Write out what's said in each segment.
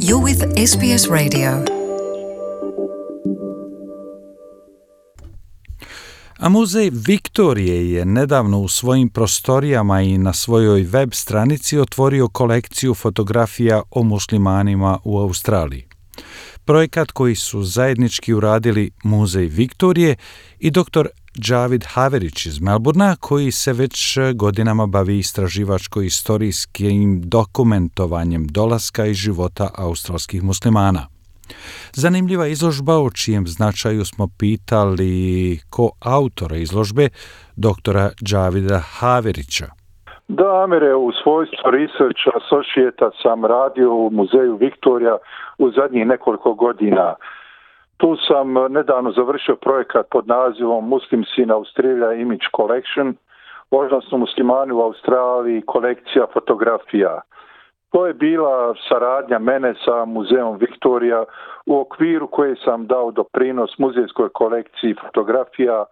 You're with SBS Radio. A muzej Viktorije je nedavno u svojim prostorijama i na svojoj web stranici otvorio kolekciju fotografija o muslimanima u Australiji. Projekat koji su zajednički uradili Muzej Viktorije i dr. Javid Haverić iz Melbourna, koji se već godinama bavi istraživačko-istorijskim dokumentovanjem dolaska i života australskih muslimana. Zanimljiva izložba o čijem značaju smo pitali koautora izložbe, doktora Javida Haverića. Da, Amire, u svojstvu Research Associate sam radio u Muzeju Viktorija u zadnjih nekoliko godina. Tu sam nedavno završio projekat pod nazivom Muslims in Australia Image Collection, odnosno muslimani u Australiji, kolekcija fotografija. To je bila saradnja mene sa Muzejom Viktorija u okviru koje sam dao doprinos muzejskoj kolekciji fotografija,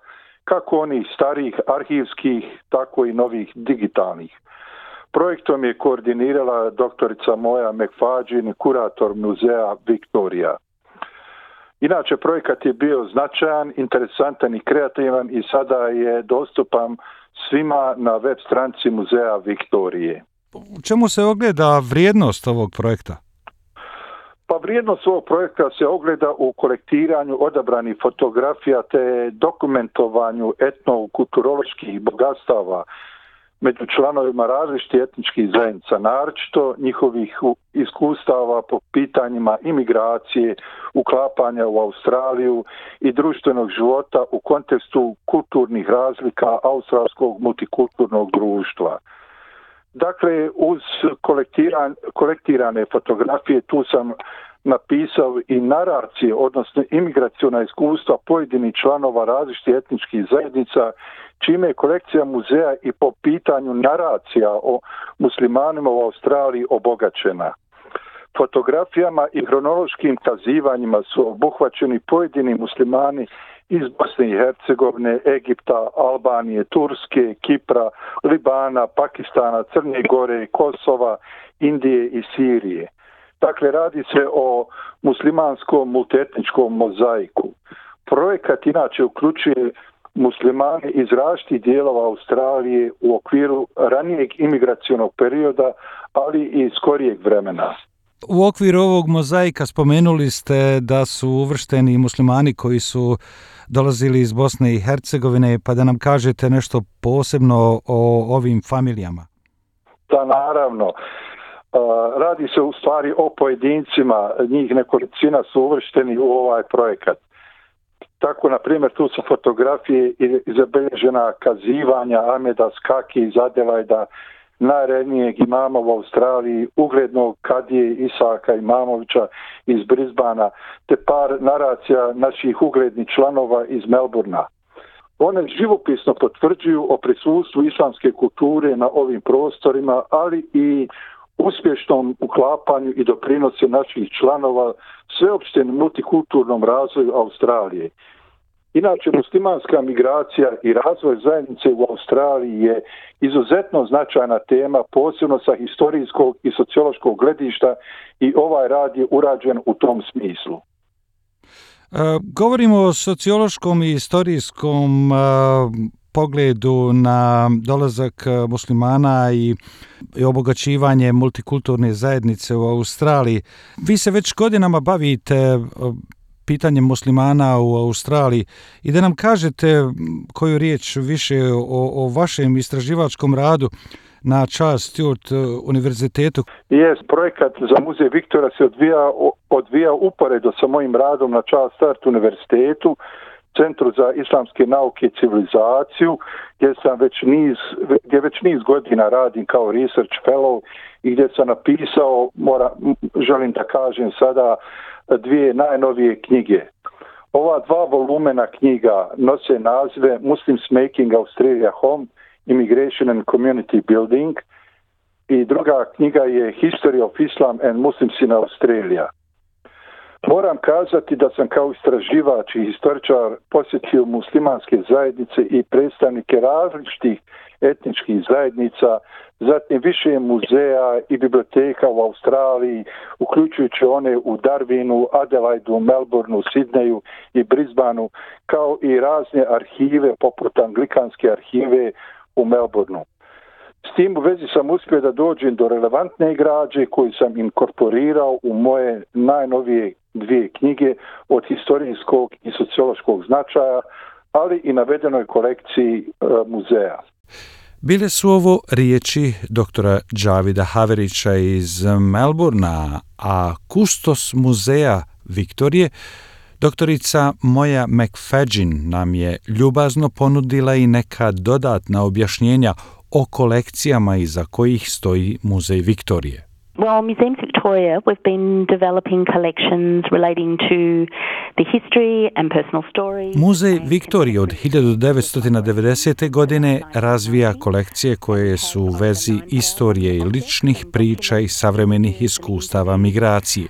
kako onih starijih arhivskih, tako i novih digitalnih. Projektom je koordinirala doktorica Moja McFadden, kurator Muzeja Viktorija. Inače, projekat je bio značajan, interesantan i kreativan i sada je dostupan svima na web stranici Muzeja Viktorije. U čemu se ogleda vrijednost ovog projekta? Pa vrijednost ovog projekta se ogleda u kolektiranju odabranih fotografija te dokumentovanju etnokulturoloških bogatstava među članovima različitih etničkih zajednica, naročito njihovih iskustava po pitanjima imigracije, uklapanja u Australiju i društvenog života u kontekstu kulturnih razlika australskog multikulturnog društva. Dakle, uz kolektirane fotografije tu sam napisao i naracije, odnosno imigraciona iskustva pojedinih članova različitih etničkih zajednica, čime je kolekcija muzeja i po pitanju naracija o muslimanima u Australiji obogaćena. Fotografijama i hronološkim kazivanjima su obuhvaćeni pojedini muslimani iz Bosne i Hercegovine, Egipta, Albanije, Turske, Kipra, Libana, Pakistana, Crne Gore, Kosova, Indije i Sirije. Dakle, radi se o muslimanskom multietničkom mozaiku. Projekat inače uključuje muslimane iz različitih dijelova Australije u okviru ranijeg imigracionog perioda, ali i skorijeg vremena. U okviru ovog mozaika spomenuli ste da su uvršteni muslimani koji su dolazili iz Bosne i Hercegovine, pa da nam kažete nešto posebno o ovim familijama. Da, naravno. Radi se u stvari o pojedincima, njih nekolicina su uvršteni u ovaj projekat. Tako, na primjer, tu su fotografije i zabilježena kazivanja Ahmeda Skaki iz Adelajda, najrednijeg imama u Australiji, uglednog kadije Isaka Imamovića iz Brisbana, te par naracija naših uglednih članova iz Melbourna. One živopisno potvrđuju o prisustvu islamske kulture na ovim prostorima, ali i uspješnom uklapanju i doprinosu naših članova sveopštem multikulturnom razvoju Australije. Inače, muslimanska migracija i razvoj zajednice u Australiji je izuzetno značajna tema, posebno sa historijskog i sociološkog gledišta, i ovaj rad je urađen u tom smislu. Govorimo o sociološkom i historijskom pogledu na dolazak muslimana i obogaćivanje multikulturne zajednice u Australiji. Vi se već godinama bavite pitanjem muslimana u Australiji i da nam kažete koju riječ više o vašem istraživačkom radu na Charles Sturt univerzitetu. Projekat za Muzej Viktorija se odvija uporedo sa mojim radom na Charles Sturt univerzitetu, Centru za islamske nauke i civilizaciju, gdje već niz godina radim kao research fellow i gdje sam napisao, želim da kažem sada, 2 najnovije knjige. Ova 2 volumena knjiga nose nazive Muslims Making Australia Home, Immigration and Community Building, i druga knjiga je History of Islam and Muslims in Australia. Moram kazati da sam kao istraživač i historičar posjetio muslimanske zajednice i predstavnike različitih etničkih zajednica, zatim više muzeja i biblioteka u Australiji, uključujući one u Darwinu, Adelaidu, Melbourneu, Sidneju i Brisbaneu, kao i razne arhive poput Anglikanske arhive u Melbourneu. S tim u vezi sam uspio da dođem do relevantne građe koju sam inkorporirao u moje najnovije 2 knjige od historijskog i sociološkog značaja, ali i navedenoj kolekciji muzeja. Bile su ovo riječi doktora Javida Haverića iz Melbourna, a kustos muzeja Viktorije, doktorica Moja McFadyen, nam je ljubazno ponudila i neka dodatna objašnjenja o kolekcijama iza kojih stoji Muzej Viktorije. Well, Museums Victoria, we've been developing collections relating to the history and personal stories. Muzej Viktorije od 1990. godine razvija kolekcije koje su u vezi istorije i ličnih priča i savremenih iskustava migracije.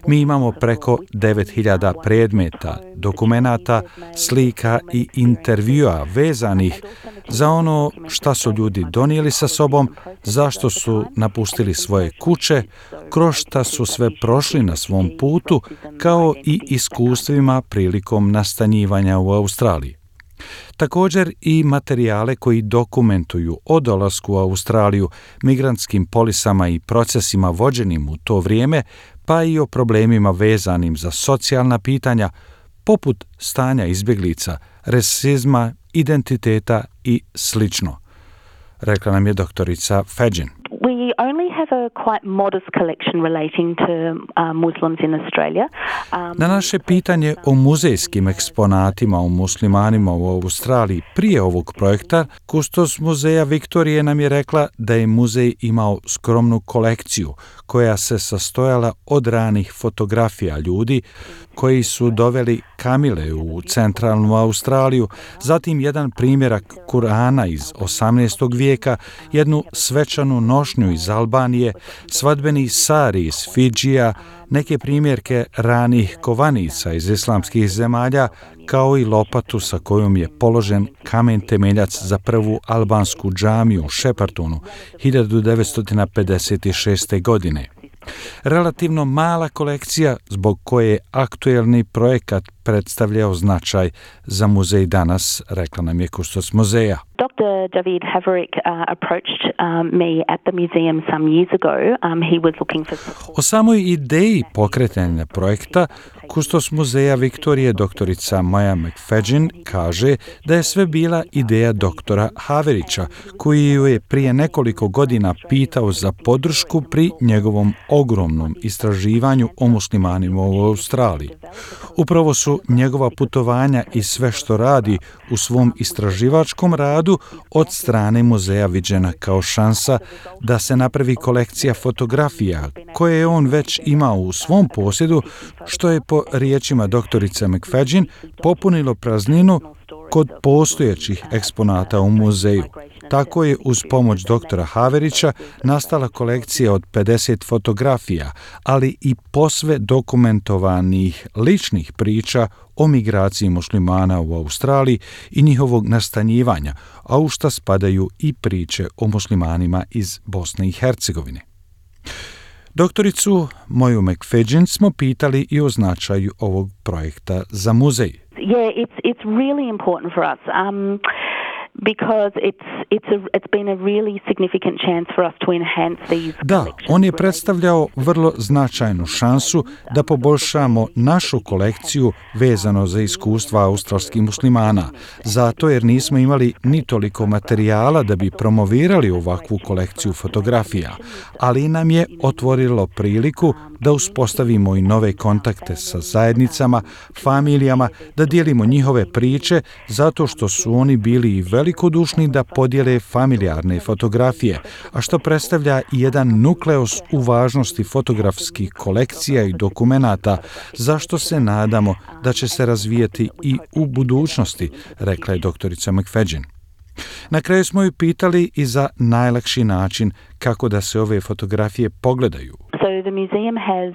Mi imamo preko 9000 predmeta, dokumenata, slika i intervjua vezanih za ono šta su ljudi donijeli sa sobom, zašto su napustili svoje kuće, kroz šta su sve prošli na svom putu, kao i iskustvima prilikom nastanjivanja u Australiji. Također i materijale koji dokumentuju o dolasku u Australiju, migrantskim polisama i procesima vođenim u to vrijeme, pa i o problemima vezanim za socijalna pitanja, poput stanja izbjeglica, rasizma, identiteta i slično, rekla nam je doktorica Fadyen. We only have a quite modest collection relating to Muslims in Australia. Na naše pitanje o muzejskim eksponatima o muslimanima u Australiji prije ovog projekta, kustos muzeja Viktorije nam je rekla da je muzej imao skromnu kolekciju koja se sastojala od ranih fotografija ljudi koji su doveli kamile u centralnu Australiju, zatim jedan primjerak Kurana iz 18. vijeka, jednu svečanu nošnju iz Albanije, svadbeni sari iz Fidžija, neke primjerke ranih kovanica iz islamskih zemalja, kao i lopatu sa kojom je položen kamen temeljac za prvu albansku džamiju u Sheppartonu 1956. godine. Relativno mala kolekcija zbog koje je aktuelni projekat predstavljao značaj za muzej danas, rekla nam je kustos muzeja. Dr. David Haverick approached me at the museum some years ago. He was looking for support. O samoj ideji pokretanja projekta kustos muzeja Viktorije doktorica Moja McFadyen kaže da je sve bila ideja doktora Haverića, koji ju je prije nekoliko godina pitao za podršku pri njegovom ogromnom istraživanju o muslimanima u Australiji. Upravo su njegova putovanja i sve što radi u svom istraživačkom radu od strane muzeja viđena kao šansa da se napravi kolekcija fotografija koje je on već imao u svom posjedu, što je po riječima doktorice McFadyen popunilo prazninu kod postojećih eksponata u muzeju. Tako je uz pomoć doktora Haverića nastala kolekcija od 50 fotografija, ali i posve dokumentovanih ličnih priča o migraciji muslimana u Australiji i njihovog nastanjivanja, a u šta spadaju i priče o muslimanima iz Bosne i Hercegovine. Doktoricu Moju McFadyen smo pitali i o značaju ovog projekta za muzej. Yeah, it's really important for us. Because it's been a really significant chance for us to enhance these collections. Da, on je predstavljao vrlo značajnu šansu da poboljšamo našu kolekciju vezano za iskustva australskih muslimana, zato jer nismo imali ni toliko materijala da bi promovirali ovakvu kolekciju fotografija, ali nam je otvorilo priliku da uspostavimo i nove kontakte sa zajednicama, familijama, da dijelimo njihove priče, zato što su oni bili i velikodušni da podijele familijarne fotografije, a što predstavlja i jedan nukleus u važnosti fotografskih kolekcija i dokumenata, zašto se nadamo da će se razvijati i u budućnosti, rekla je doktorica McFadyen. Na kraju smo ju pitali i za najlakši način kako da se ove fotografije pogledaju. So the museum has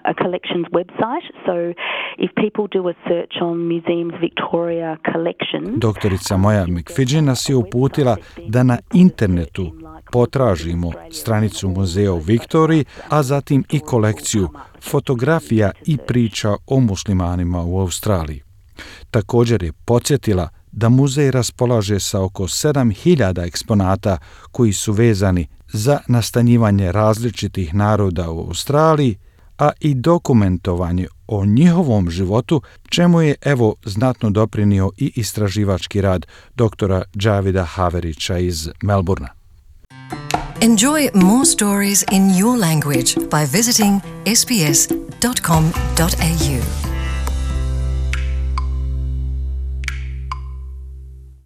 a collections website. So if people do a search on Museums Victoria collections... Doktorica Moja McFidgen nas je uputila da na internetu potražimo stranicu muzeja u Viktoriji, a zatim i kolekciju fotografija i priča o muslimanima u Australiji. Također je podsjetila da muzej raspolaže sa oko 7000 eksponata koji su vezani za nastanjivanje različitih naroda u Australiji, a i dokumentovanje o njihovom životu, čemu je evo znatno doprinio i istraživački rad doktora Javida Haverića iz Melbourna. Enjoy more stories in your language by visiting sbs.com.au.